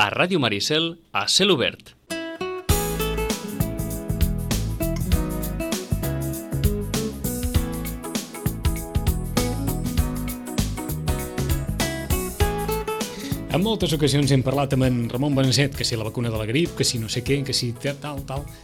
A Ràdio Maricel, a cel obert. En moltes ocasions hem parlat amb en Ramon Benasset, que si la vacuna de la grip, que si no sé què, que si tal,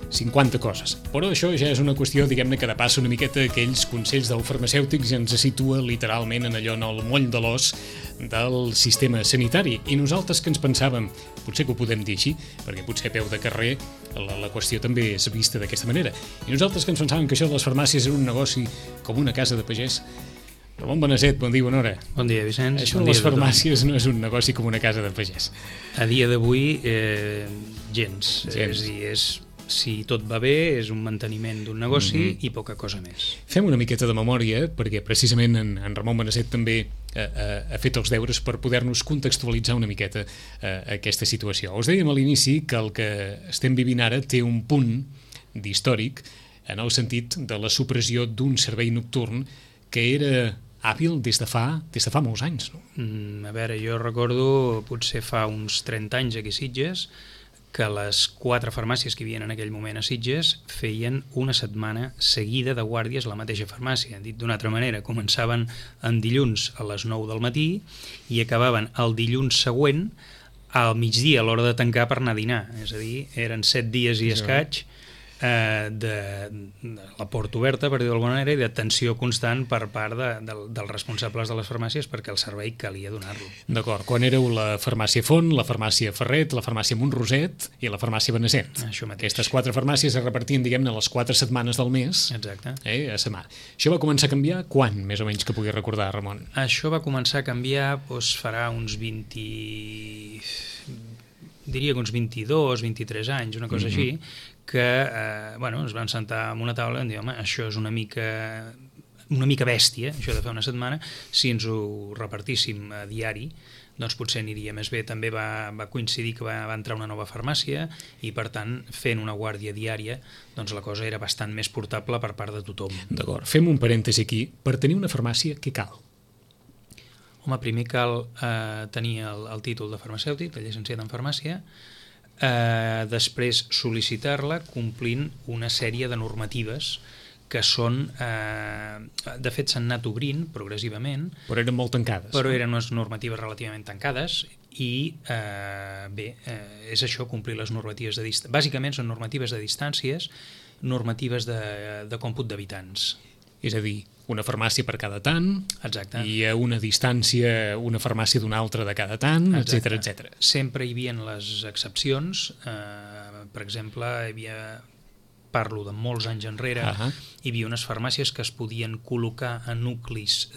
50 coses. Però això ja és una qüestió, diguem-ne, que depassa una miqueta aquells consells del farmacèutic i ens situa literalment en allò, en el moll de l'os del sistema sanitari. I nosaltres que ens pensàvem, potser que ho podem dir així, perquè potser a peu de carrer la qüestió també és vista d'aquesta manera, i nosaltres que ens pensàvem que això de les farmàcies era un negoci com una casa de pagès. Ramon Benasset, bon dia, bona hora. Bon dia, Vicenç. Això de les farmàcies no és un negoci com una casa de pagès. A dia d'avui, gens. És a dir, si tot va bé, és un manteniment d'un negoci i poca cosa més. Fem una miqueta de memòria, perquè precisament en Ramon Benasset també ha fet els deures per poder-nos contextualitzar una miqueta aquesta situació. Us dèiem a l'inici que el que estem vivint ara té un punt d'històric en el sentit de la supressió d'un servei nocturn que era hàbil des de fa molts anys, no? A veure, jo recordo potser fa uns 30 anys aquí a Sitges que les 4 farmàcies que hi havia en aquell moment a Sitges feien una setmana seguida de guàrdies a la mateixa farmàcia. Dit d'una altra manera, començaven en dilluns a les 9 del matí i acabaven el dilluns següent al migdia a l'hora de tancar per anar a dinar. És a dir, eren 7 dies i escaig de la porta oberta, per dir d'alguna manera, i d'atenció constant per part dels responsables de les farmàcies perquè el servei calia donar-lo. D'acord, quan éreu la farmàcia Font, la farmàcia Ferret, la farmàcia Montroset i la farmàcia Benasset. Això mateix. Aquestes 4 farmàcies es repartien, diguem-ne, les 4 setmanes del mes. Exacte. A setmana. Això va començar a canviar quan, més o menys, que pugui recordar, Ramon? Això va començar a canviar, farà uns 22, 23 anys, una cosa així, que es van sentar en una taula i van dir, home, això és una mica bèstia, això de fer una setmana, si ens ho repartíssim a diari, doncs potser aniria més bé. També va coincidir que va entrar una nova farmàcia i, per tant, fent una guàrdia diària, doncs la cosa era bastant més portable per part de tothom. D'acord, fem un parèntesi aquí. Per tenir una farmàcia, què cal? Home, primer cal tenir el títol de farmacèutic, de llicenciat en farmàcia, després sol·licitar-la complint una sèrie de normatives que són, de fet s'han anat obrint progressivament, però eren molt tancades. Però eren unes normatives relativament tancades i és això, complir les normatives de distàncies. Bàsicament són normatives de distàncies, normatives de còmput d'habitants. És a dir, una farmàcia per cada tant. Exacte. I a una distància una farmàcia d'una altra de cada tant, etc. Sempre hi havia les excepcions. Per exemple, parlo de molts anys enrere, hi havia unes farmàcies que es podien col·locar en nuclis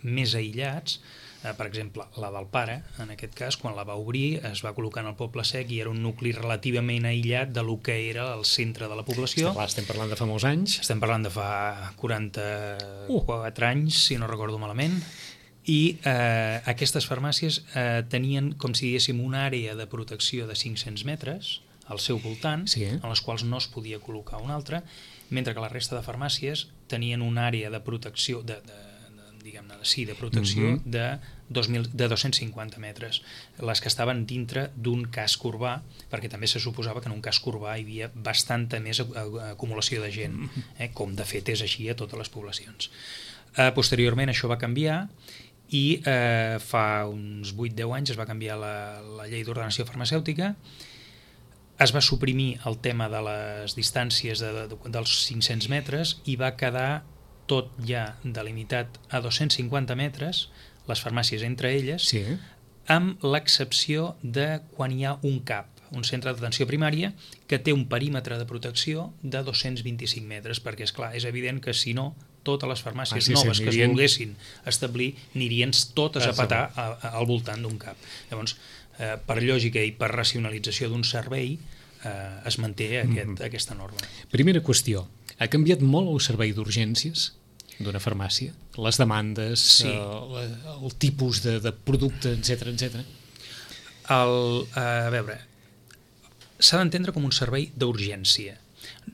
més aïllats. Per exemple, la del pare, en aquest cas, quan la va obrir, es va col·locar en el Poble Sec i era un nucli relativament aïllat de lo que era el centre de la població. Estem parlant de fa molts anys. Estem parlant de fa 44 anys, si no recordo malament. I aquestes farmàcies tenien, com si diguéssim, una àrea de protecció de 500 metres al seu voltant, en les quals no es podia col·locar una altra, mentre que la resta de farmàcies tenien una àrea de protecció de protecció de 250 metres, les que estaven dintre d'un casc urbà, perquè també se suposava que en un casc urbà hi havia bastanta més acumulació de gent, com de fet és així a totes les poblacions. Posteriorment això va canviar i fa uns 8-10 anys es va canviar la llei d'ordenació farmacèutica, es va suprimir el tema de les distàncies dels 500 metres i va quedar tot ja delimitat a 250 metres, les farmàcies entre elles, amb l'excepció de quan hi ha un CAP, un centre d'atenció primària, que té un perímetre de protecció de 225 metres, perquè, esclar, és evident que si no, totes les farmàcies noves que es volguessin establir anirien totes a petar al voltant d'un CAP. Llavors, per lògica i per racionalització d'un servei, es manté aquesta norma. Primera qüestió, ha canviat molt el servei d'urgències d'una farmàcia? Les demandes, el tipus de producte, etc. A veure, s'ha d'entendre com un servei d'urgència.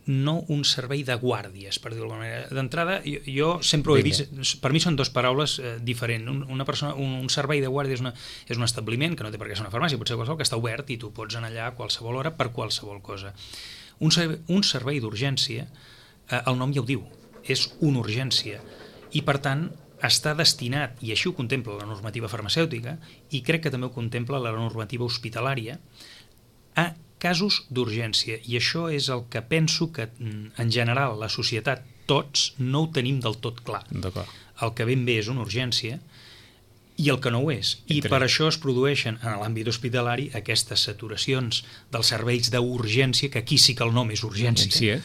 no un servei de guàrdies, per dir-ho d'alguna manera. D'entrada, jo sempre ho he vist, per mi són dues paraules diferents. Un servei de guàrdia és un establiment, que no té per què ser una farmàcia, pot ser qualsevol, que està obert i tu pots anar allà a qualsevol hora per qualsevol cosa. Un servei d'urgència, el nom ja ho diu, és una urgència, i per tant està destinat, i així ho contempla la normativa farmacèutica, i crec que també ho contempla la normativa hospitalària, a casos d'urgència. I això és el que penso que, en general, la societat, tots, no ho tenim del tot clar. El que ben bé és una urgència i el que no ho és. I per això es produeixen, en l'àmbit hospitalari, aquestes saturacions dels serveis d'urgència, que aquí sí que el nom és urgència,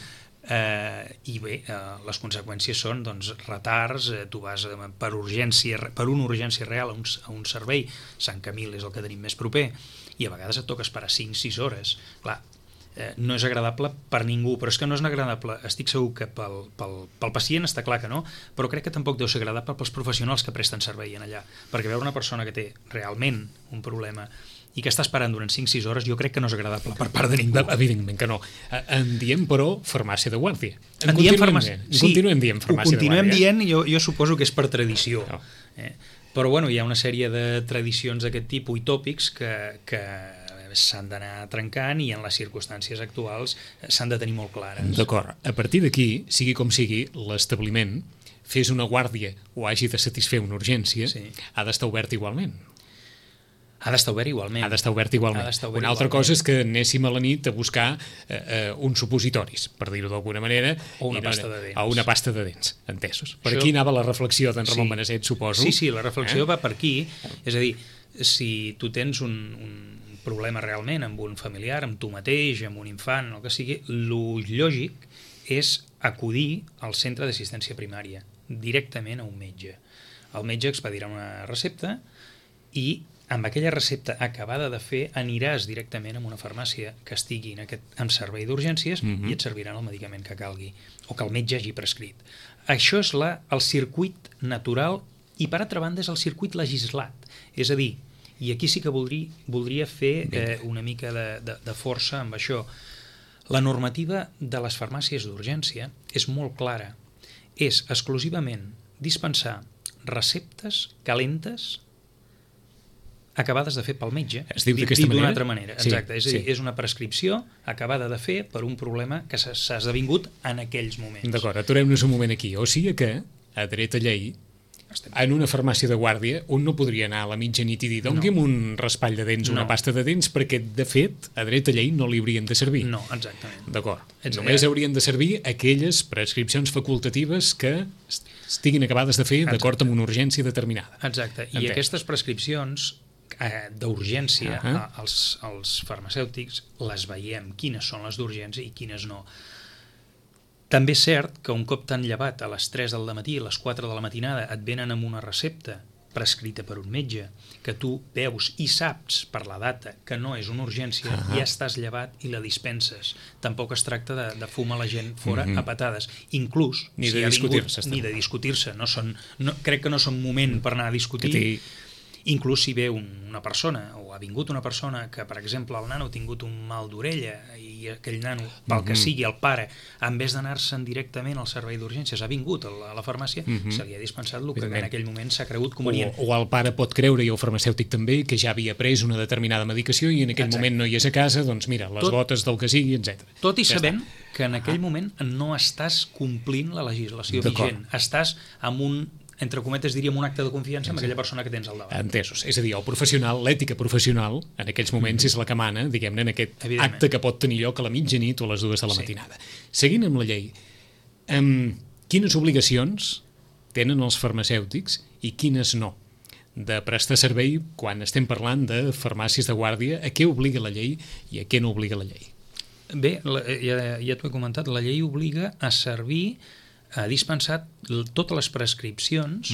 i bé, les conseqüències són retards, tu vas per una urgència real a un servei, Sant Camil és el que tenim més proper, i a vegades et toca esperar 5-6 hores. Clar, no és agradable per ningú, però és que no és agradable, estic segur que pel pacient està clar que no, però crec que tampoc deu ser agradable pels professionals que presten servei en allà, perquè veure una persona que té realment un problema i que està esperant durant 5-6 hores, jo crec que no és agradable per part de ningú. Evidentment que no. En diem, però, farmàcia de guàrdia. Continuem dient farmàcia de guàrdia. Continuem dient, jo suposo que és per tradició. Però bueno, hi ha una sèrie de tradicions d'aquest tipus i tòpics que s'han d'anar trencant i en les circumstàncies actuals s'han de tenir molt clares. D'acord. A partir d'aquí, sigui com sigui, l'establiment, fes una guàrdia o hagi de satisfer una urgència, ha d'estar obert igualment. Ha d'estar obert igualment. Una altra cosa és que anéssim a la nit a buscar uns supositoris, per dir-ho d'alguna manera, o una pasta de dents. O una pasta de dents, entesos. Per aquí anava la reflexió d'en Ramon Benasset, suposo. Sí, la reflexió va per aquí. És a dir, si tu tens un problema realment amb un familiar, amb tu mateix, amb un infant, el que sigui, lo lògic és acudir al centre d'assistència primària, directament a un metge. El metge expedirà una recepta i amb aquella recepta acabada de fer aniràs directament a una farmàcia que estigui en servei d'urgències i et serviran el medicament que calgui o que el metge hagi prescrit. Això és el circuit natural i, per altra banda, és el circuit legislat. És a dir, i aquí sí que voldria fer una mica de força amb això. La normativa de les farmàcies d'urgència és molt clara. És exclusivament dispensar receptes calentes acabades de fer pel metge, es diu d'aquesta manera? D'una altra manera. Exacte, és a dir, és una prescripció acabada de fer per un problema que s'ha esdevingut en aquells moments. D'acord, aturem-nos un moment aquí. O sigui que, a dret a llei, en una farmàcia de guàrdia, un no podria anar a la mitjanit i dir doni'm un raspall de dents, una pasta de dents, perquè, de fet, a dret a llei no li haurien de servir. No, exactament. D'acord. Només haurien de servir aquelles prescripcions facultatives que estiguin acabades de fer d'acord amb una urgència determinada. Exacte. I aquestes prescripcions d'urgència als farmacèutics les veiem, quines són les d'urgència i quines no. També és cert que un cop t'han llevat a les 3 del matí, a les 4 de la matinada, et venen amb una recepta prescrita per un metge, que tu veus i saps per la data que no és una urgència, ja estàs llevat i la dispenses. Tampoc es tracta de fumar la gent fora a patades. Inclús, ni de discutir-se. Crec que no són moment per anar a discutir. Inclús si ve una persona o ha vingut una persona que, per exemple, el nano ha tingut un mal d'orella i aquell nano, pel que sigui, el pare, en vez d'anar-se'n directament al servei d'urgències, ha vingut a la farmàcia, se li ha dispensat el que en aquell moment s'ha cregut convenient. O el pare pot creure, i el farmacèutic també, que ja havia pres una determinada medicació i en aquell moment no hi és a casa, doncs mira, les gotes del que sigui, etc. Tot i sabent que en aquell moment no estàs complint la legislació vigent, estàs amb un, entre cometes diríem, un acte de confiança amb aquella persona que tens al davant. Entesos. És a dir, el professional, l'ètica professional, en aquells moments és la que mana, diguem-ne, en aquest acte que pot tenir lloc a la mitjanit o a les 2 de la matinada. Seguint amb la llei, quines obligacions tenen els farmacèutics i quines no de prestar servei quan estem parlant de farmàcies de guàrdia? A què obliga la llei i a què no obliga la llei? Bé, ja t'ho he comentat, la llei obliga a servir, a dispensar totes les prescripcions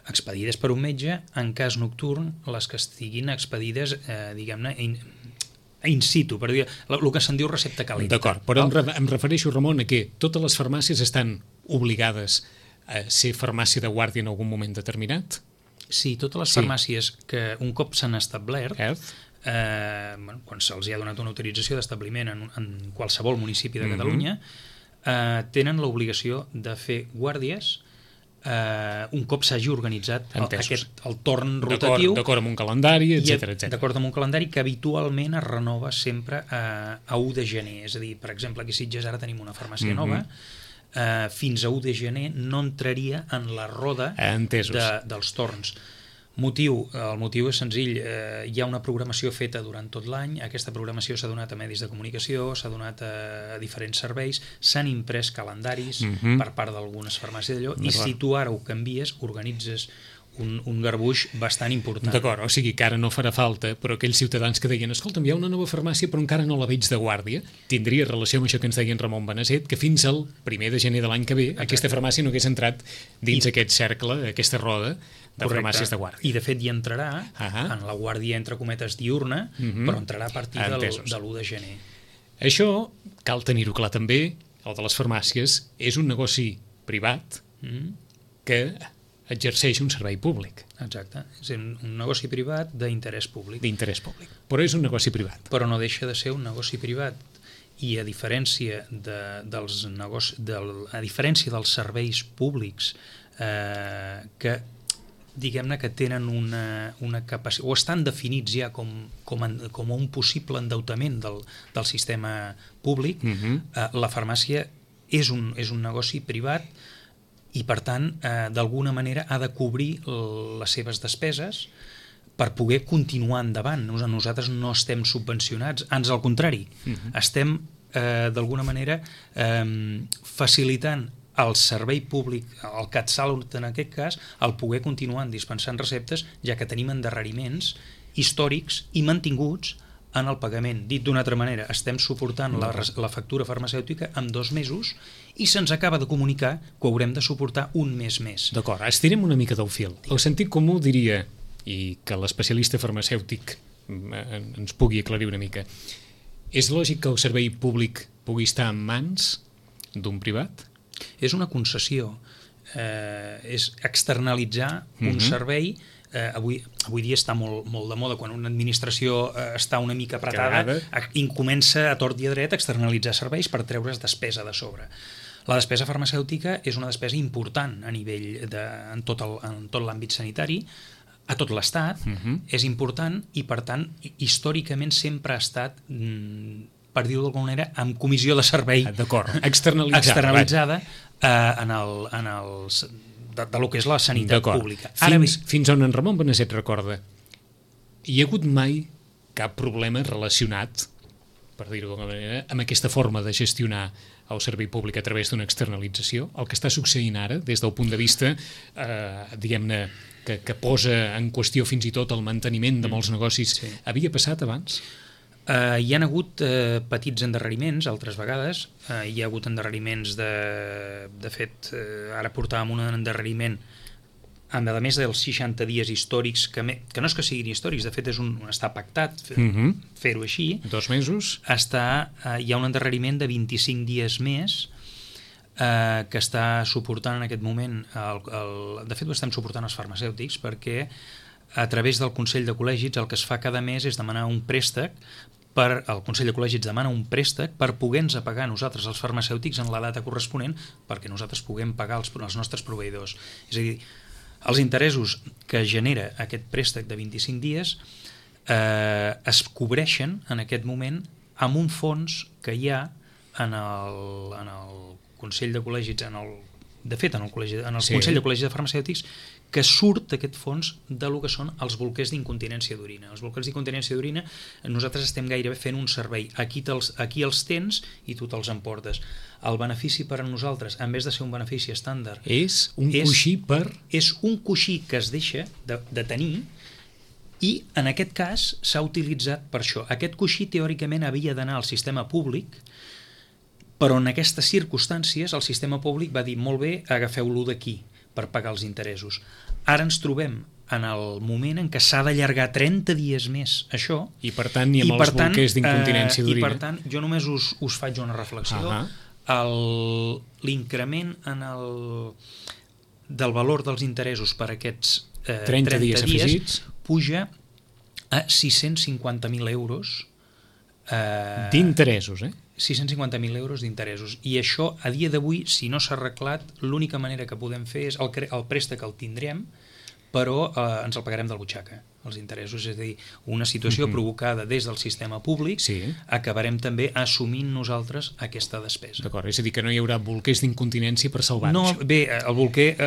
expedides per un metge, en cas nocturn, les que estiguin expedides, diguem-ne, in situ, per dir, el que se'n diu recepta calenta. D'acord, però em refereixo, Ramon, a que totes les farmàcies estan obligades a ser farmàcia de guàrdia en algun moment determinat? Sí, totes les farmàcies que un cop s'han establert quan se'ls ha donat una autorització d'establiment en qualsevol municipi de Catalunya, tenen l'obligació de fer guàrdies un cop s'hagi organitzat el torn rotatiu, d'acord amb un calendari, etc. D'acord amb un calendari que habitualment es renova sempre a 1 de gener. És a dir, per exemple, aquí a Sitges ara tenim una farmàcia nova, fins a 1 de gener no entraria en la roda dels torns. El motiu és senzill, hi ha una programació feta durant tot l'any, aquesta programació s'ha donat a medis de comunicació, s'ha donat a diferents serveis, s'han imprès calendaris per part d'algunes farmàcies d'allò, i si tu ara ho canvies, organitzes un garbuix bastant important. D'acord, o sigui que ara no farà falta, però aquells ciutadans que deien, escolta'm, hi ha una nova farmàcia però encara no la veig de guàrdia, tindria relació amb això que ens deia en Ramon Beneset, que fins al 1 de gener de l'any que ve aquesta farmàcia no hagués entrat dins aquest cercle, aquesta roda de farmàcies de guàrdia. I de fet hi entrarà en la guàrdia entre cometes diurna, però entrarà a partir de l'1 de gener. Això cal tenir-ho clar també, el de les farmàcies és un negoci privat que exerceix un servei públic. Exacte, és un negoci privat d'interès públic. D'interès públic, però és un negoci privat. Però no deixa de ser un negoci privat, i a diferència dels serveis públics que diguem-ne que tenen una capacitat, o estan definits ja com un possible endeutament del sistema públic, la farmàcia és un negoci privat i per tant d'alguna manera ha de cobrir les seves despeses per poder continuar endavant. Nosaltres no estem subvencionats, ans al contrari, estem d'alguna manera facilitant el servei públic, el CatSalut en aquest cas, el poder continuar dispensant receptes, ja que tenim endarreriments històrics i mantinguts en el pagament. Dit d'una altra manera, estem suportant la factura farmacèutica en 2 mesos i se'ns acaba de comunicar que haurem de suportar un mes més. D'acord, estirem una mica del fil. El sentit comú diria, i que l'especialista farmacèutic ens pugui aclarir una mica, és lògic que el servei públic pugui estar en mans d'un privat? És una concessió, és externalitzar un servei. Avui dia està molt de moda, quan una administració està una mica apretada i comença a tort i a dret a externalitzar serveis per treure's despesa de sobre. La despesa farmacèutica és una despesa important a nivell en tot l'àmbit sanitari, a tot l'Estat, és important i per tant històricament sempre ha estat, per dir-ho d'alguna manera, amb comissió de servei externalitzada de lo que és la sanitat pública. Fins on en Ramon Beneset recorda, hi ha hagut mai cap problema relacionat, per dir-ho d'alguna manera, amb aquesta forma de gestionar el servei públic a través d'una externalització? El que està succeint ara, des del punt de vista, diguem-ne, que posa en qüestió fins i tot el manteniment de molts negocis, havia passat abans? Hi ha hagut petits endarreriments, altres vegades. Hi ha hagut endarreriments de fet, ara portàvem un endarreriment a més dels 60 dies històrics, que no és que siguin històrics, de fet està pactat fer-ho així. 2 mesos. Hi ha un endarreriment de 25 dies més que està suportant en aquest moment, de fet ho estem suportant els farmacèutics, perquè a través del Consell de Col·legis el que es fa cada mes és demanar un préstec, el Consell de Col·legis demana un préstec per poder-nos pagar nosaltres els farmacèutics en la data corresponent, perquè nosaltres puguem pagar els nostres proveïdors. És a dir, els interessos que genera aquest préstec de 25 dies es cobreixen en aquest moment amb un fons que hi ha en el Consell de Col·legis, de fet en el Consell de Col·legis de Farmacèutics, que surt d'aquest fons del que són els bolquers d'incontinència d'orina. Els bolquers d'incontinència d'orina, nosaltres estem gairebé fent un servei. Aquí els tens i tu te'ls emportes. El benefici per a nosaltres, en vez de ser un benefici estàndard, és un coixí que es deixa de tenir, i en aquest cas s'ha utilitzat per això. Aquest coixí teòricament havia d'anar al sistema públic, però en aquestes circumstàncies el sistema públic va dir molt bé, agafeu-lo d'aquí per pagar els interessos. Ara ens trobem en el moment en què s'ha d'allargar 30 dies més això. I per tant ni amb els bolquers d'incontinència d'orina. I per tant jo només us faig una reflexió. L'increment del valor dels interessos per aquests 30 dies afegits puja a 650.000 euros d'interessos, 650.000 euros d'interessos. I això, a dia d'avui, si no s'ha arreglat, l'única manera que podem fer és el préstec el tindrem, però ens el pagarem del butxaca, els interessos. És a dir, una situació provocada des del sistema públic, acabarem també assumint nosaltres aquesta despesa. D'acord, és a dir, que no hi haurà bolquers d'incontinència per salvar això. No, bé, el bolquer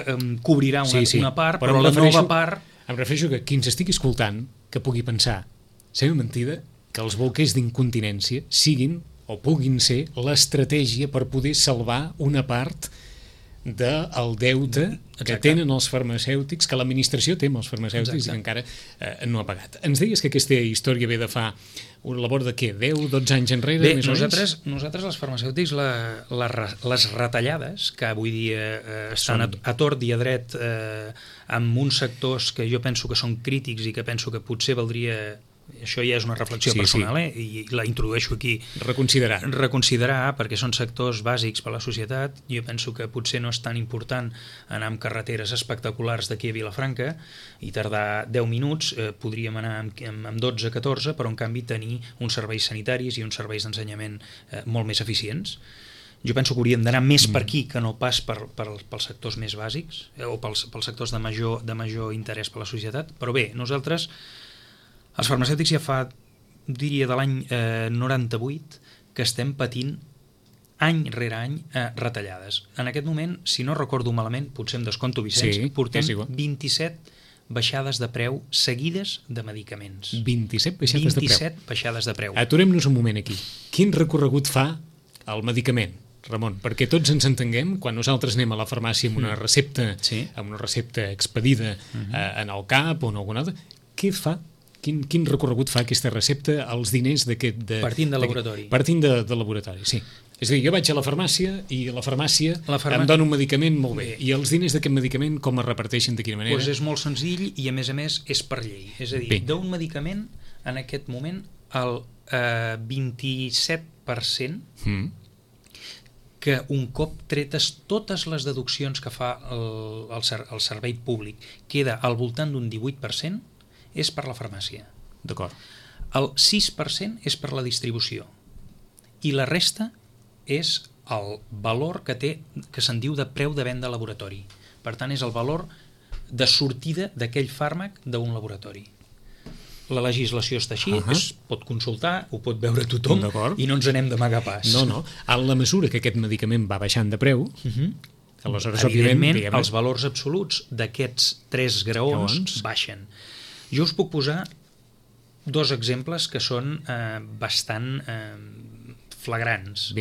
cobrirà una part, però la nova part... Em refereixo que qui ens estigui escoltant que pugui pensar, sembla mentida que els bolquers d'incontinència siguin o puguin ser l'estratègia per poder salvar una part del deute que tenen els farmacèutics, que l'administració té amb els farmacèutics i que encara no ha pagat. Ens deies que aquesta història ve de fa una labor de què? 10-12 anys enrere? Bé, nosaltres els farmacèutics les retallades que avui dia estan a tort i a dret amb uns sectors que jo penso que són crítics i que penso que potser valdria... Això ja és una reflexió personal, i la introdueixo aquí. Reconsiderar, perquè són sectors bàsics per a la societat. Jo penso que potser no és tan important anar amb carreteres espectaculars d'aquí a Vilafranca i tardar 10 minuts, podríem anar amb 12-14, però en canvi tenir uns serveis sanitaris i uns serveis d'ensenyament molt més eficients. Jo penso que hauríem d'anar més per aquí que no pas pels sectors més bàsics o pels sectors de major interès per a la societat. Però bé, nosaltres... Els farmacèutics ja fa, diria, de l'any 98 que estem patint any rere any retallades. En aquest moment, si no recordo malament, potser em desconto, Vicenç, portem 27 baixades de preu seguides de medicaments. 27 baixades de preu? 27 baixades de preu. Aturem-nos un moment aquí. Quin recorregut fa el medicament, Ramon? Perquè tots ens entenguem, quan nosaltres anem a la farmàcia amb una recepta, expedida en el CAP o en alguna altra, què fa? Quin recorregut fa aquesta recepta als diners d'aquest... Partint de laboratori. Partint de laboratori, sí. És a dir, jo vaig a la farmàcia i a la farmàcia em dona un medicament molt bé. I els diners d'aquest medicament com es reparteixen, de quina manera? Doncs és molt senzill i a més és per llei. És a dir, d'un medicament, en aquest moment, el 27% que un cop tretes totes les deduccions que fa el servei públic queda al voltant d'un 18%, és per la farmàcia. D'acord. El 6% és per la distribució i la resta és el valor que té, que se'n diu de preu de venda a laboratori. Per tant, és el valor de sortida d'aquell fàrmac d'un laboratori. La legislació està així, es pot consultar, ho pot veure tothom i no ens anem d'amagar pas. No. En la mesura que aquest medicament va baixant de preu... Aleshores, evidentment, els valors absoluts d'aquests 3 graons baixen. Jo us puc posar 2 exemples que són bastant flagrants.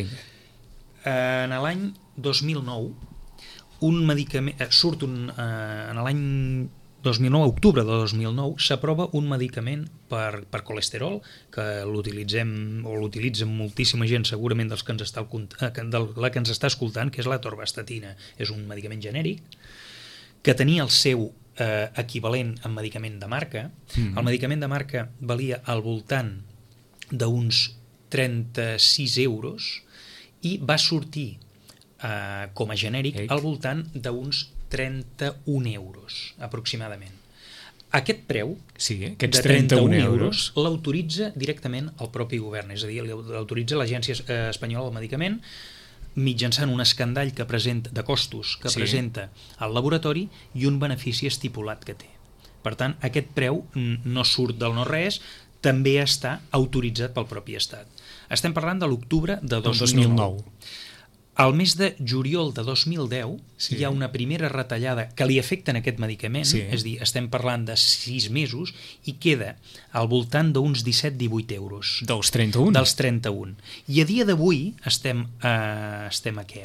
En l'any 2009, un medicament en l'any 2009, octubre de 2009, s'aprova un medicament per colesterol, que l'utilitzen moltíssima gent, segurament dels que ens està escoltant, que és la atorvastatina. És un medicament genèric que tenia el seu equivalent en medicament de marca. El medicament de marca valia al voltant d'uns 36 euros i va sortir com a genèric al voltant d'uns 31 euros aproximadament. Aquest preu de 31 euros l'autoritza directament el propi govern, és a dir, l'autoritza l'Agència Espanyola del Medicament mitjançant un escandall de costos que presenta al laboratori i un benefici estipulat que té. Per tant, aquest preu no surt del no-res, també està autoritzat pel propi Estat. Estem parlant de l'octubre de 2009. Al mes de juliol de 2010 hi ha una primera retallada que li afecta en aquest medicament, és a dir, estem parlant de 6 mesos i queda al voltant d'uns 17-18 euros. Dels 31? Dels 31. I a dia d'avui estem a què?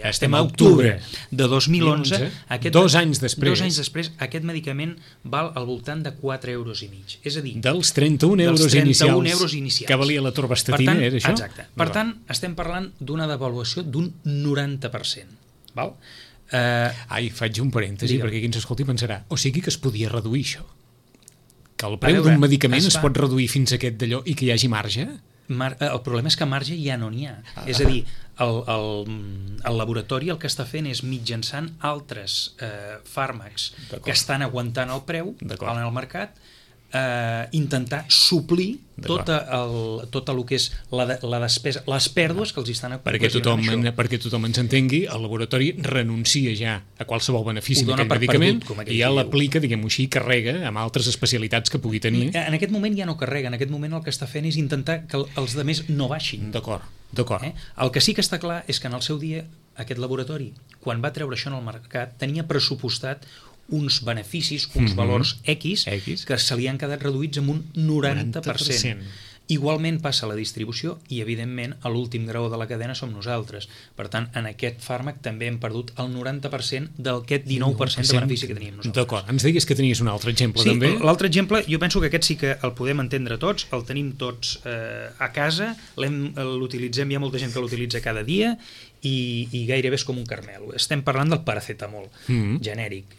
Estem a octubre de 2011. 2 anys després. 2 anys després, aquest medicament val al voltant de 4 euros i mig. És a dir, dels 31 euros inicials que valia la torvastatina, era això? Exacte. Per tant, estem parlant d'una devaluació d'un 90%. Val? Faig un parèntesi, perquè qui ens escolti pensarà, o sigui que es podia reduir això? Que el preu d'un medicament es pot reduir fins a aquest d'allò i que hi hagi marge? El problema és que marge ja no n'hi ha. És a dir, el laboratori el que està fent és mitjançant altres fàrmacs que estan aguantant el preu en el mercat, intentar suplir tot el que és la despesa, les pèrdues que els estan ocasionant això. Perquè tothom ens entengui, el laboratori renuncia ja a qualsevol benefici d'aquell medicament i ja l'aplica, diguem-ho així, carrega amb altres especialitats que pugui tenir. En aquest moment ja no carrega, en aquest moment el que està fent és intentar que els altres no baixin. D'acord. El que sí que està clar és que en el seu dia aquest laboratori, quan va treure això en el mercat, tenia pressupostat uns beneficis, uns valors X que se li han quedat reduïts en un 90%. Igualment passa a la distribució i, evidentment, a l'últim grau de la cadena som nosaltres. Per tant, en aquest fàrmac també hem perdut el 90% d'aquest 19% de benefici que teníem nosaltres. D'acord. Ens deies que tenies un altre exemple, sí, també? Sí, l'altre exemple, jo penso que aquest sí que el podem entendre tots, el tenim tots a casa, l'utilitzem, hi ha molta gent que l'utilitza cada dia i gairebé és com un caramel. Estem parlant del paracetamol genèric,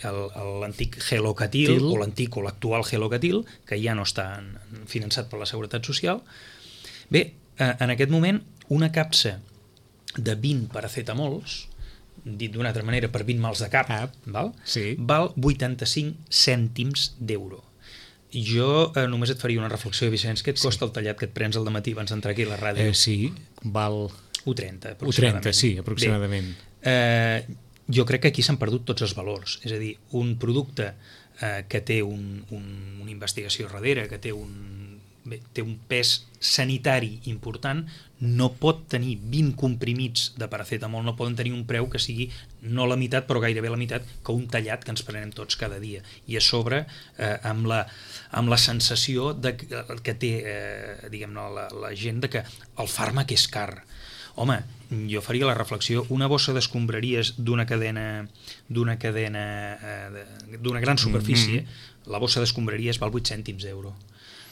l'antic Gelocatil o l'antic o l'actual Gelocatil, que ja no està finançat per la Seguretat Social. Bé, en aquest moment una capsa de 20 paracetamols, dit d'una altra manera per 20 mals de cap, val 85 cèntims d'euro. Jo només et faria una reflexió, Vicenç, que et costa el tallat que et prens al dematí abans d'entrar aquí a la ràdio? Sí, val... 1,30 aproximadament. 1,30, sí, aproximadament. Bé, jo crec que aquí s'han perdut tots els valors. És a dir, un producte que té una investigació darrere, que té un pes sanitari important, no pot tenir 20 comprimits de paracetamol, no poden tenir un preu que sigui no la meitat, però gairebé la meitat que un tallat que ens prenem tots cada dia. I a sobre, amb la sensació que té diguem-ne la gent de que el fàrmac és car. Home, jo faria la reflexió, una bossa d'escombraries d'una cadena d'una gran superfície, la bossa d'escombraries val 8 cèntims d'euro.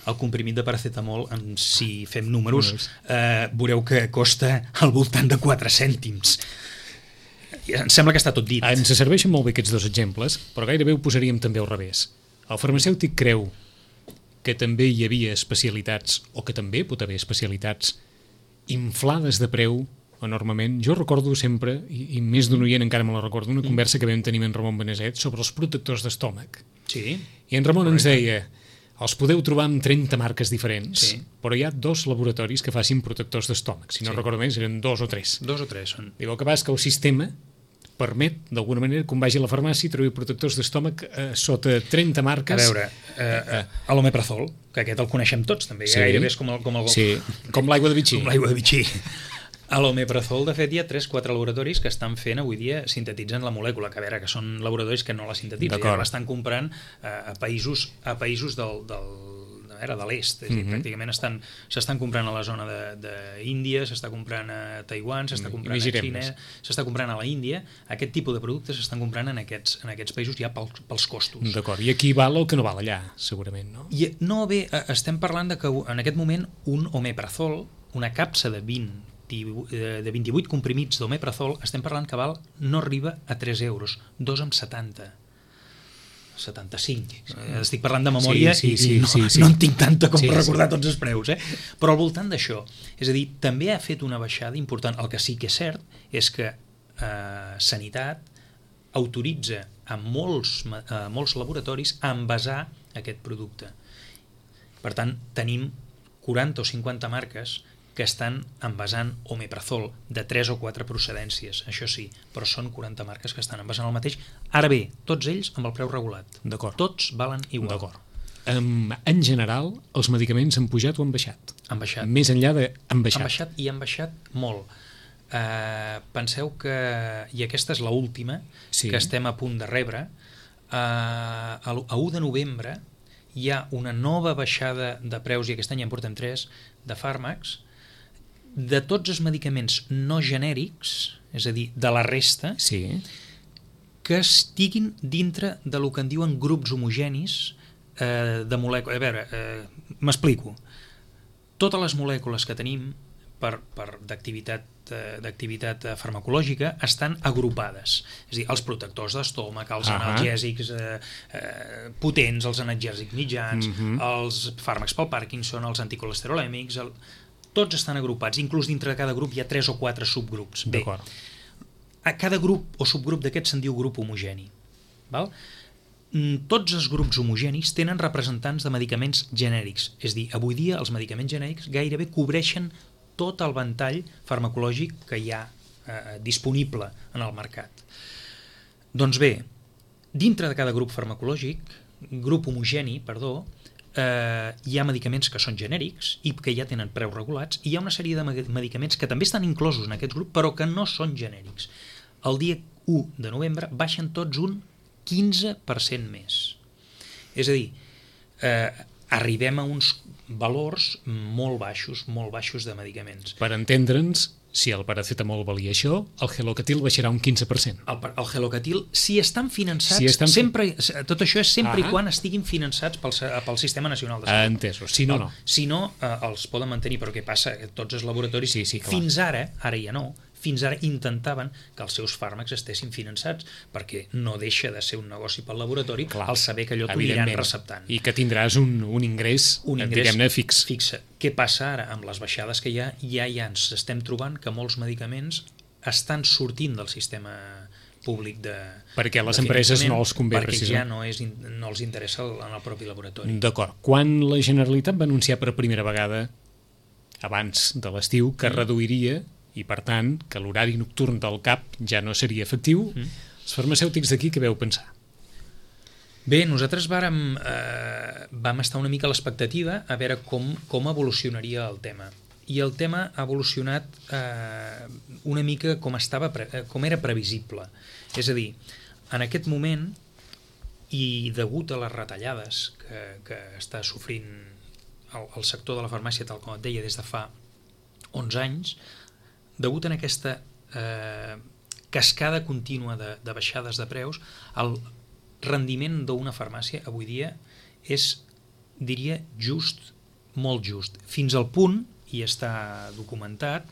El comprimit de paracetamol, si fem números, veureu que costa al voltant de 4 cèntims. Em sembla que està tot dit. Ens serveixen molt bé aquests dos exemples, però gairebé ho posaríem també al revés. El farmacèutic creu que també hi havia especialitats, o que també pot haver especialitats inflades de preu enormement. Jo recordo sempre, i més d'un oient encara me la recordo, una conversa que vam tenir amb en Ramon Beneset sobre els protectors d'estómac. Sí. I en Ramon ens deia, els podeu trobar amb 30 marques diferents, però hi ha 2 laboratoris que facin protectors d'estómac. Si no recordo més, eren 2 o 3. 2 o 3 són. Diu, el que passa és que el sistema permet, d'alguna manera, quan vagi a la farmàcia i trobi protectors d'estómac sota 30 marques. A veure, l'omeprazol, que aquest el coneixem tots, també. Gairebé és com l'aigua de Vichy. Com l'aigua de Vichy. A l'omeprazol, de fet, hi ha 3-4 laboratoris que estan fent avui dia, sintetitzen la molècula, que a veure, que són laboratoris que no la sintetitzen, ja l'estan comprant a països de l'est, pràcticament s'estan comprant a la zona d'Índia, s'està comprant a Taiwan, s'està comprant a Xina, s'està comprant a la Índia. Aquest tipus de productes s'estan comprant en aquests països ja pels costos. D'acord, i aquí val el que no val allà, segurament, no? No, bé, estem parlant de que en aquest moment un omeprazol, una capsa de 28 comprimits d'omeprazol, estem parlant que no arriba a 3 euros, 2,70. 75. Estic parlant de memòria i no en tinc tanta com per recordar tots els preus. Però al voltant d'això, és a dir, també ha fet una baixada important. El que sí que és cert és que Sanitat autoritza a molts laboratoris a envasar aquest producte. Per tant, tenim 40 o 50 marques que estan envasant omeprazol de 3 o 4 procedències, això sí, però són 40 marques que estan envasant el mateix. Ara bé, tots ells amb el preu regulat. D'acord. Tots valen igual. D'acord. En general, els medicaments han pujat o han baixat? Han baixat. Més enllà de han baixat. Han baixat i han baixat molt. Penseu que, i aquesta és l'última que estem a punt de rebre, a 1 de novembre hi ha una nova baixada de preus, i aquest any en portem 3, de fàrmacs, de tots els medicaments no genèrics, és a dir, de la resta, que estiguin dintre del que en diuen grups homogenis de molècules. A veure, m'explico. Totes les molècules que tenim d'activitat farmacològica estan agrupades. És a dir, els protectors d'estómac, els analgèsics potents, els analgèsics mitjans, els fàrmacs pel Parkinson, els anticolesterolèmics, tots estan agrupats, inclús dintre de cada grup hi ha 3 o 4 subgrups. Bé, a cada grup o subgrup d'aquests se'n diu grup homogeni. tots els grups homogenis tenen representants de medicaments genèrics. És a dir, avui dia els medicaments genèrics gairebé cobreixen tot el ventall farmacològic que hi ha disponible en el mercat. Doncs bé, dintre de cada grup farmacològic, grup homogeni, perdó, hi ha medicaments que són genèrics i que ja tenen preus regulats, i hi ha una sèrie de medicaments que també estan inclosos en aquest grup però que no són genèrics. El dia 1 de novembre baixen tots un 15% més. És a dir, arribem a uns valors molt baixos de medicaments. Per entendre'ns, si el paracetamol valia això, el Gelocatil baixarà un 15%. El Gelocatil, si estan finançats, sempre, tot això és sempre i quan estiguin finançats pel Sistema Nacional de Salut. Entesos, si no, no. Si no, els poden mantenir, però què passa? Tots els laboratoris, sí, fins ara ja no, fins ara intentaven que els seus fàrmacs estessin finançats, perquè no deixa de ser un negoci pel laboratori al saber que allò t'ho aniran receptant. I que tindràs un ingrés diguem-ne, fix. Què passa ara? Amb les baixades que hi ha, ja ens estem trobant que molts medicaments estan sortint del sistema públic de perquè les empreses no els convé, perquè ja no els interessa en el propi laboratori. D'acord. Quan la Generalitat va anunciar per primera vegada, abans de l'estiu, que reduiria i, per tant, que l'horari nocturn del CAP ja no seria efectiu, els farmacèutics d'aquí què veu pensar? Bé, nosaltres vam estar una mica a l'expectativa a veure com evolucionaria el tema. I el tema ha evolucionat una mica com era previsible. És a dir, en aquest moment, i degut a les retallades que està sofrint el sector de la farmàcia, tal com et deia, des de fa 11 anys, degut a aquesta cascada contínua de baixades de preus, el rendiment d'una farmàcia avui dia és, diria, just, molt just. Fins al punt, i està documentat,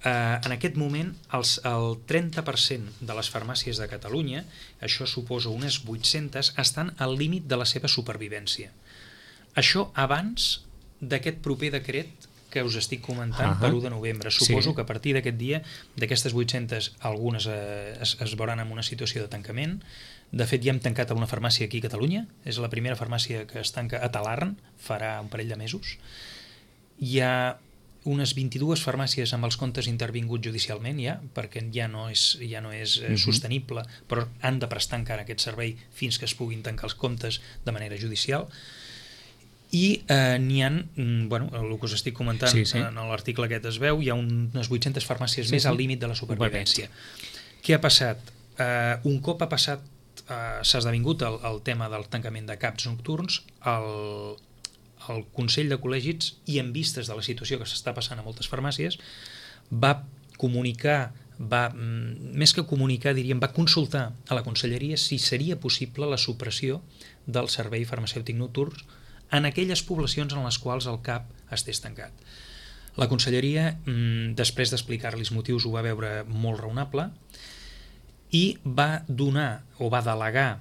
en aquest moment el 30% de les farmàcies de Catalunya, això suposa unes 800, estan al límit de la seva supervivència. Això abans d'aquest proper decret que us estic comentant per 1 de novembre. Suposo que a partir d'aquest dia, d'aquestes 800, algunes es veuran en una situació de tancament. De fet, ja hem tancat una farmàcia aquí a Catalunya. És la primera farmàcia que es tanca a Talarn, farà un parell de mesos. Hi ha unes 22 farmàcies amb els comptes intervinguts judicialment ja, perquè ja no és sostenible, però han de prestar encara aquest servei fins que es puguin tancar els comptes de manera judicial. I n'hi ha, el que us estic comentant en l'article aquest es veu, hi ha unes 800 farmàcies més al límit de la supervivència. Què ha passat? Un cop s'ha esdevingut el tema del tancament de CAPs nocturns, el Consell de Col·legis, i en vistes de la situació que s'està passant a moltes farmàcies, va comunicar, més que comunicar, diríem, va consultar a la Conselleria si seria possible la supressió del servei farmacèutic nocturn en aquelles poblacions en les quals el CAP estés tancat. La Conselleria, després d'explicar-li els motius, ho va veure molt raonable i va donar o va delegar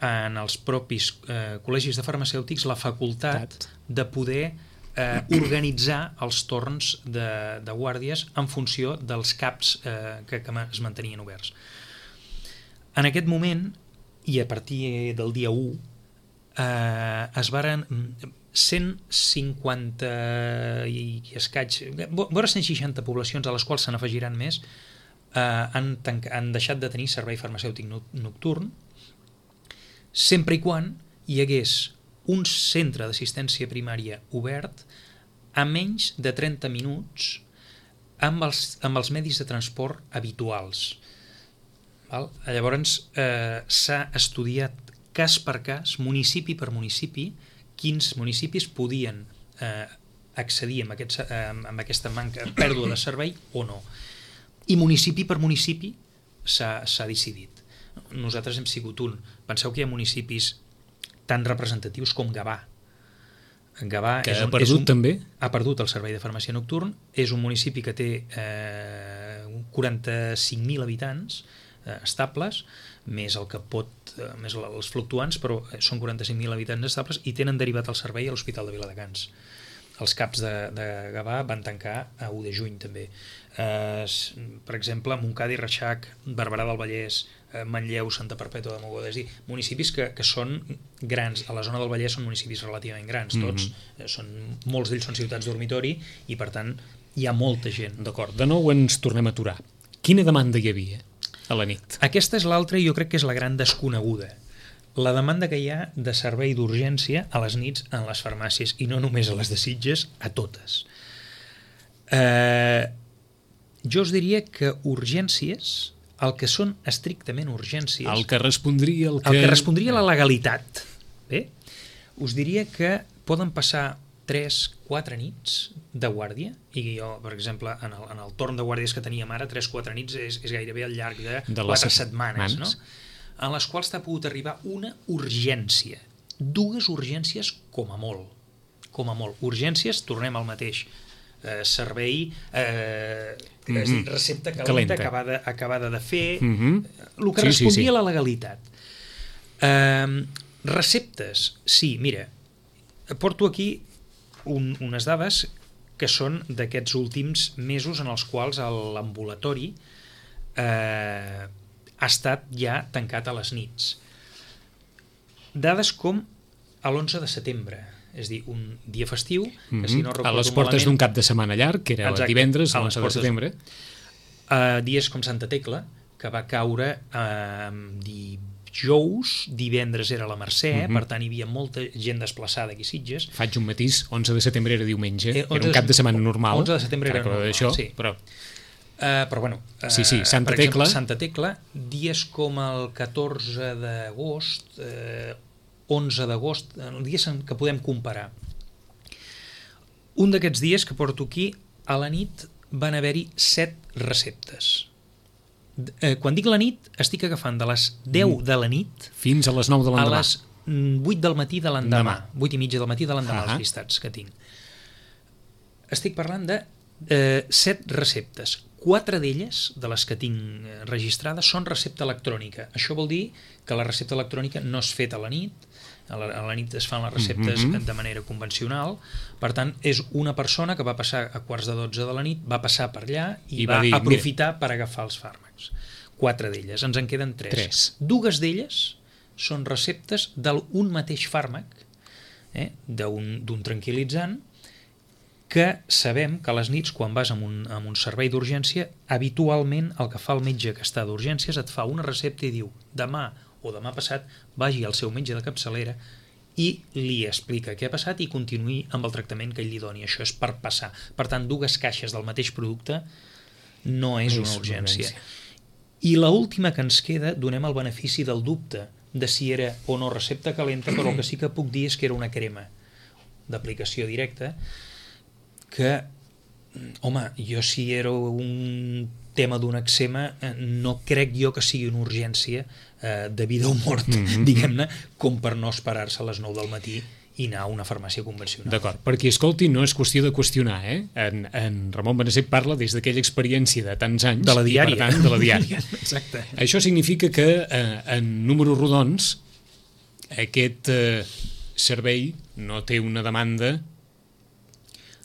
en els propis col·legis de farmacèutics la facultat de poder organitzar els torns de guàrdies en funció dels CAPs que es mantenien oberts. En aquest moment, i a partir del dia 1, es varen 150 i escaig, vora 160 poblacions a les quals se n'afegiran més, han deixat de tenir servei farmacèutic nocturn, sempre i quan hi hagués un centre d'assistència primària obert a menys de 30 minuts amb els medis de transport habituals. Llavors s'ha estudiat cas per cas, municipi per municipi, quins municipis podien accedir amb aquesta pèrdua de servei o no. I municipi per municipi s'ha decidit. Nosaltres hem sigut un. Penseu que hi ha municipis tan representatius com Gavà. Gavà que ha perdut també? Ha perdut el servei de farmàcia nocturn. És un municipi que té 45.000 habitants estables, més el que més els fluctuants, però són 45.000 habitants estables i tenen derivat el servei a l'Hospital de Viladecans. els CAPs de Gavà van tancar a 1 de juny també. Per exemple, Montcada i Reixac, Barberà del Vallès, Manlleu, Santa Perpètua de Mogoda, és a dir, municipis que són grans. A la zona del Vallès són municipis relativament grans, tots, molts d'ells són ciutats dormitori i per tant hi ha molta gent. D'acord, de nou ens tornem a aturar. Quina demanda hi havia a la nit? Aquesta és l'altra i jo crec que és la gran desconeguda. La demanda que hi ha de servei d'urgència a les nits en les farmàcies, i no només a les de Sitges, a totes. Jo us diria que urgències, el que són estrictament urgències... El que respondria... El que respondria a la legalitat. Bé? Us diria que poden passar 3-4 nits de guàrdia, i jo, per exemple, en el torn de guàrdies que teníem ara, 3-4 nits és gairebé al llarg de 4 setmanes, no? En les quals t'ha pogut arribar una urgència. 2 urgències com a molt. Com a molt. Urgències, tornem al mateix. Servei, recepta calenta acabada de fer, el que respondia a la legalitat. Receptes, sí, mira, porto aquí unes dades que són d'aquests últims mesos en els quals l'ambulatori ha estat ja tancat a les nits. Dades com a l'11 de setembre, és a dir, un dia festiu, que si no recordo a les portes d'un cap de setmana llarg, que era divendres, l'11 de setembre. Dies com Santa Tecla, que va caure dijous, divendres era la Mercè, per tant hi havia molta gent desplaçada aquí a Sitges. Faig un matís, 11 de setembre era diumenge, era un cap de setmana normal. 11 de setembre era normal, això, sí. Però bueno, Santa per Tecla. exemple, Santa Tecla, dies com el 14 d'agost, 11 d'agost, dies que podem comparar. Un d'aquests dies que porto aquí, a la nit van haver-hi 7 receptes. Quan dic la nit, estic agafant de les 10 de la nit fins a les 9 de l'endemà. A les 8 del matí de l'endemà. 8 i mitja del matí de l'endemà, els llistats que tinc. Estic parlant de 7 receptes. 4 d'elles, de les que tinc registrades, són recepta electrònica. Això vol dir que la recepta electrònica no és feta a la nit, a la nit es fan les receptes de manera convencional, per tant, és una persona que va passar a 11:45 de la nit, va passar per allà i va dir, aprofitar per agafar els fàrmacs. 4 d'elles, ens en queden 3. 2 d'elles són receptes d'un mateix fàrmac, d'un tranquil·litzant, que sabem que a les nits, quan vas amb un servei d'urgència, habitualment el que fa el metge que està d'urgències et fa una recepta i diu demà o demà passat vagi al seu metge de capçalera i li explica què ha passat i continuï amb el tractament que ell li doni. Això és per passar. Per tant, 2 caixes del mateix producte no és una urgència. I l'última que ens queda, donem el benefici del dubte de si era o no recepta calenta, però el que sí que puc dir és que era una crema d'aplicació directa que, home, jo si era un tema d'un eczema, no crec jo que sigui una urgència de vida o mort, diguem-ne, com per no esperar-se a les 9 del matí i anar a una farmàcia convencional. D'acord, perquè escolti, no és qüestió de qüestionar, En Ramon Benasset parla des d'aquella experiència de tants anys, de la diària. I per tant de la diària. Exacte. Això significa que en números rodons aquest servei no té una demanda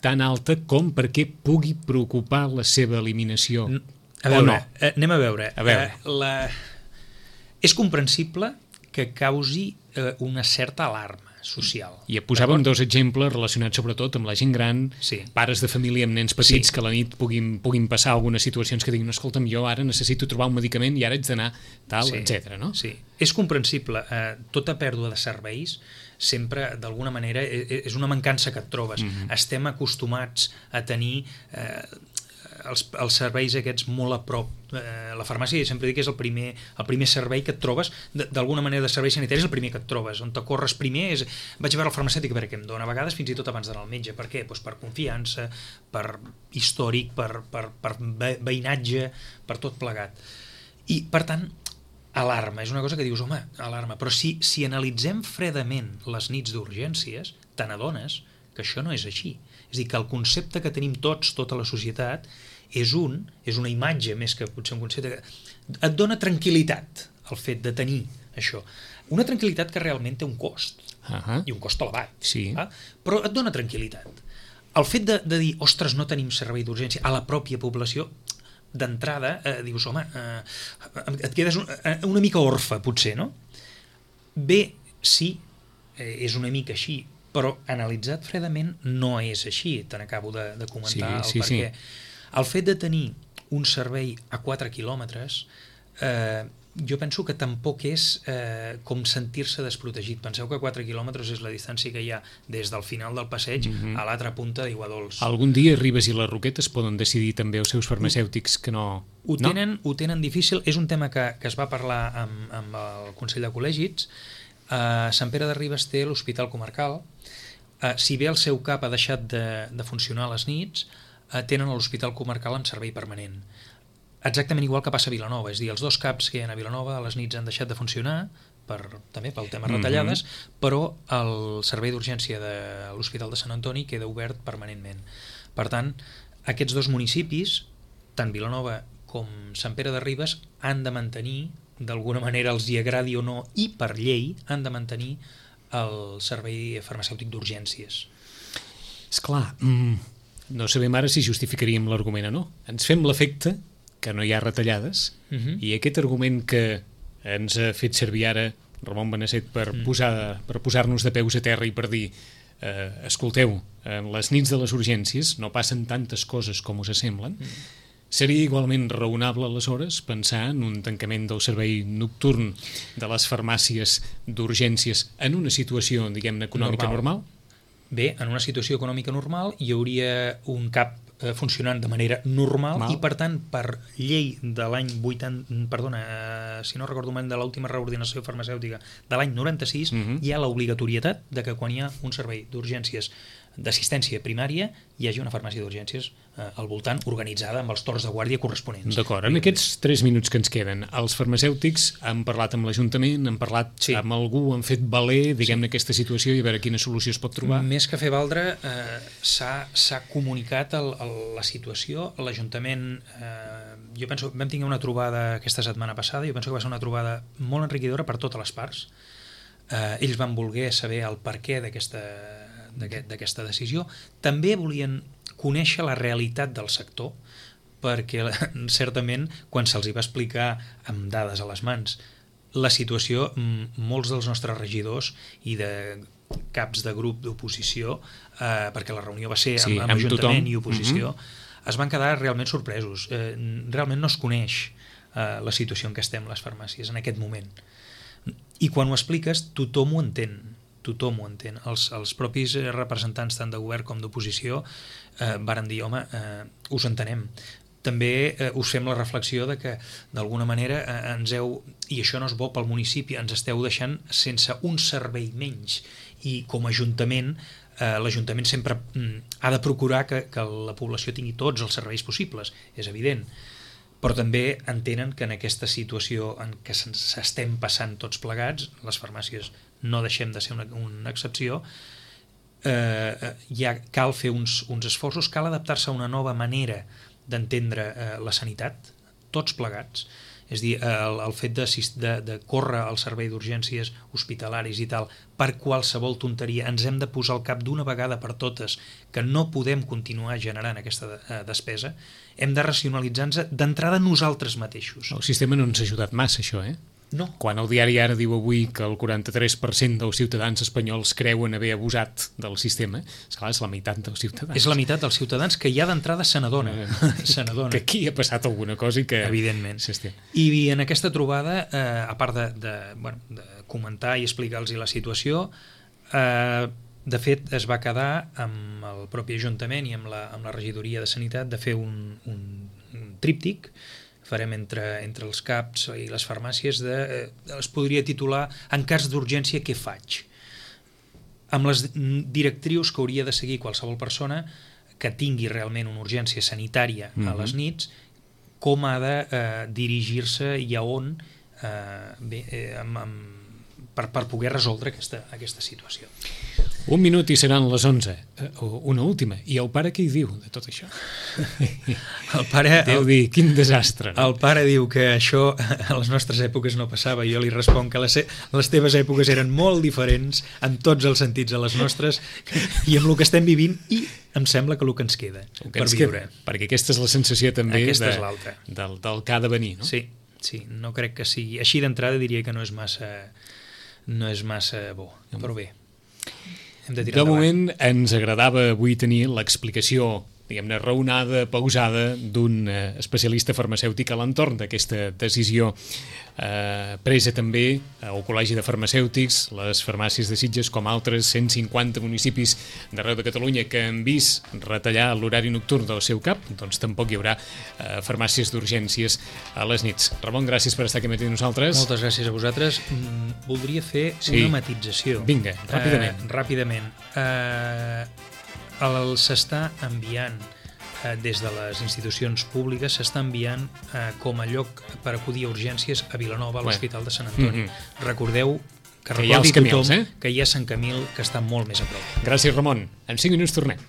tan alta com perquè pugui preocupar la seva eliminació. A veure, o no? Anem a veure. És comprensible que causi una certa alarma social. I posàvem 2 exemples relacionats sobretot amb la gent gran, pares de família amb nens petits que a la nit puguin passar algunes situacions que diguin, escolta'm, jo ara necessito trobar un medicament i ara haig d'anar tal, etc. No? Sí, és comprensible. Tota pèrdua de serveis sempre, d'alguna manera, és una mancança que et trobes. Estem acostumats a tenir els serveis aquests molt a prop. La farmàcia, sempre dic que és el primer servei que et trobes, d'alguna manera de servei sanitari és el primer que et trobes. On te corres primer és, vaig a veure el farmacèutic a veure què em dona, a vegades fins i tot abans d'anar al metge. Per què? Doncs per confiança, per històric, per veïnatge, per tot plegat. I, per tant, alarma, és una cosa que dius, home, alarma, però si analitzem fredament les nits d'urgències, te n'adones que això no és així. És a dir, que el concepte que tenim tots, tota la societat, és una imatge més que potser un concepte que et dona tranquil·litat el fet de tenir això. Una tranquil·litat que realment té un cost, i un cost elevat, però et dona tranquil·litat. el fet de dir, ostres, no tenim servei d'urgència a la pròpia població, d'entrada dius, home, et quedes una mica orfe, potser, no? Bé, sí, és una mica així, però analitzat fredament no és així, te n'acabo de comentar el perquè. El fet de tenir un servei a 4 quilòmetres, jo penso que tampoc és com sentir-se desprotegit. Penseu que 4 quilòmetres és la distància que hi ha des del final del passeig a l'altra punta d'Aiguadols. Algun dia Ribes i les Roquetes poden decidir també els seus farmacèutics que no... Ho tenen difícil. És un tema que es va parlar amb el Consell de Col·legis. Sant Pere de Ribes té l'Hospital Comarcal. Si bé el seu CAP ha deixat de funcionar a les nits, tenen l'Hospital Comarcal amb servei permanent. Exactament igual que passa a Vilanova, és a dir, els dos CAPs que hi ha a Vilanova a les nits han deixat de funcionar, també pel tema retallades, però el servei d'urgència de l'Hospital de Sant Antoni queda obert permanentment. Per tant, aquests dos municipis, tant Vilanova com Sant Pere de Ribes, han de mantenir, d'alguna manera els hi agradi o no, i per llei han de mantenir el servei farmacèutic d'urgències. Esclar, no sabem ara si justificaríem l'argument o no. Ens fem l'efecte que no hi ha retallades, i aquest argument que ens ha fet servir ara Ramon Benasset per posar-nos de peus a terra i per dir escolteu, en les nits de les urgències no passen tantes coses com us semblen, seria igualment raonable aleshores pensar en un tancament del servei nocturn de les farmàcies d'urgències en una situació, diguem-ne, econòmica normal? Bé, en una situació econòmica normal hi hauria un CAP funcionant de manera normal i per tant per llei de l'any 80, perdona, si no recordo mal, de l'última reordinació farmacèutica de l'any 96, hi ha l'obligatorietat de que quan hi ha un servei d'urgències d'assistència primària hi hagi una farmàcia d'urgències al voltant organitzada amb els torns de guàrdia corresponents. D'acord, en aquests 3 minuts que ens queden, els farmacèutics han parlat amb l'Ajuntament, han parlat amb algú, han fet valer, diguem-ne, aquesta situació i a veure quina solució es pot trobar. Més que fer valdre, s'ha comunicat la situació. L'Ajuntament, jo penso, vam tenir una trobada aquesta setmana passada, jo penso que va ser una trobada molt enriquidora per totes les parts. Ells van voler saber el perquè d'aquesta decisió. També volien conèixer la realitat del sector, perquè certament quan se'ls va explicar amb dades a les mans la situació, molts dels nostres regidors i de caps de grup d'oposició, perquè la reunió va ser amb Ajuntament i oposició, es van quedar realment sorpresos. Realment no es coneix la situació en què estem les farmàcies en aquest moment. I quan ho expliques, tothom ho entén. Tothom ho entén. Els propis representants tant de govern com d'oposició varen dir, home, us entenem. També us fem la reflexió de que d'alguna manera i això no és bo pel municipi, ens esteu deixant sense un servei menys, i com a Ajuntament l'Ajuntament sempre ha de procurar que la població tingui tots els serveis possibles, és evident, però també entenen que en aquesta situació en què s'estem passant tots plegats, les farmàcies no deixem de ser una excepció, ja cal fer uns esforços, cal adaptar-se a una nova manera d'entendre la sanitat, tots plegats. És a dir, el fet de córrer al servei d'urgències hospitalaris i tal per qualsevol tonteria, ens hem de posar al cap d'una vegada per totes que no podem continuar generant aquesta despesa, hem de racionalitzar-nos d'entrada nosaltres mateixos. El sistema no ens ha ajudat massa, això, No. Quan el diari Ara diu avui que el 43% dels ciutadans espanyols creuen haver abusat del sistema, esclar, és la meitat dels ciutadans. És la meitat dels ciutadans que ja d'entrada se n'adona. Que aquí ha passat alguna cosa i que... Evidentment. I en aquesta trobada, a part de comentar i explicar-los la situació, de fet es va quedar amb el propi Ajuntament i amb la regidoria de Sanitat de fer un tríptic farem entre els CAPs i les farmàcies, es podria titular en cas d'urgència què faig? Amb les directrius que hauria de seguir qualsevol persona que tingui realment una urgència sanitària a les nits, com ha de dirigir-se i a on per poder resoldre aquesta situació. Un minut i seran les 11. Una última. I el pare què hi diu de tot això? El pare... Deu dir, quin desastre. No? El pare diu que això a les nostres èpoques no passava. Jo li responc que les teves èpoques eren molt diferents en tots els sentits a les nostres i amb el que estem vivint, i em sembla que el que ens queda per viure. Perquè aquesta és la sensació també del que ha de venir, no? Sí, no crec que sigui. Així d'entrada diria que no és massa bo, però bé. De moment ens agradava avui tenir l'explicació, diguem-ne, raonada, pausada, d'un especialista farmacèutic a l'entorn d'aquesta decisió presa també al Col·legi de Farmacèutics, les farmàcies de Sitges, com altres 150 municipis d'arreu de Catalunya que han vist retallar l'horari nocturn del seu cap, doncs tampoc hi haurà farmàcies d'urgències a les nits. Ramon, gràcies per estar aquí amb nosaltres. Moltes gràcies a vosaltres. Voldria fer una matització. Vinga, ràpidament. S'està enviant des de les institucions públiques, s'està enviant com a lloc per acudir a urgències a Vilanova, a l'Hospital de Sant Antoni. Recordeu que recordi tothom que hi ha Sant Camil, que està molt més a prop. Gràcies, Ramon. En 5 minuts tornem.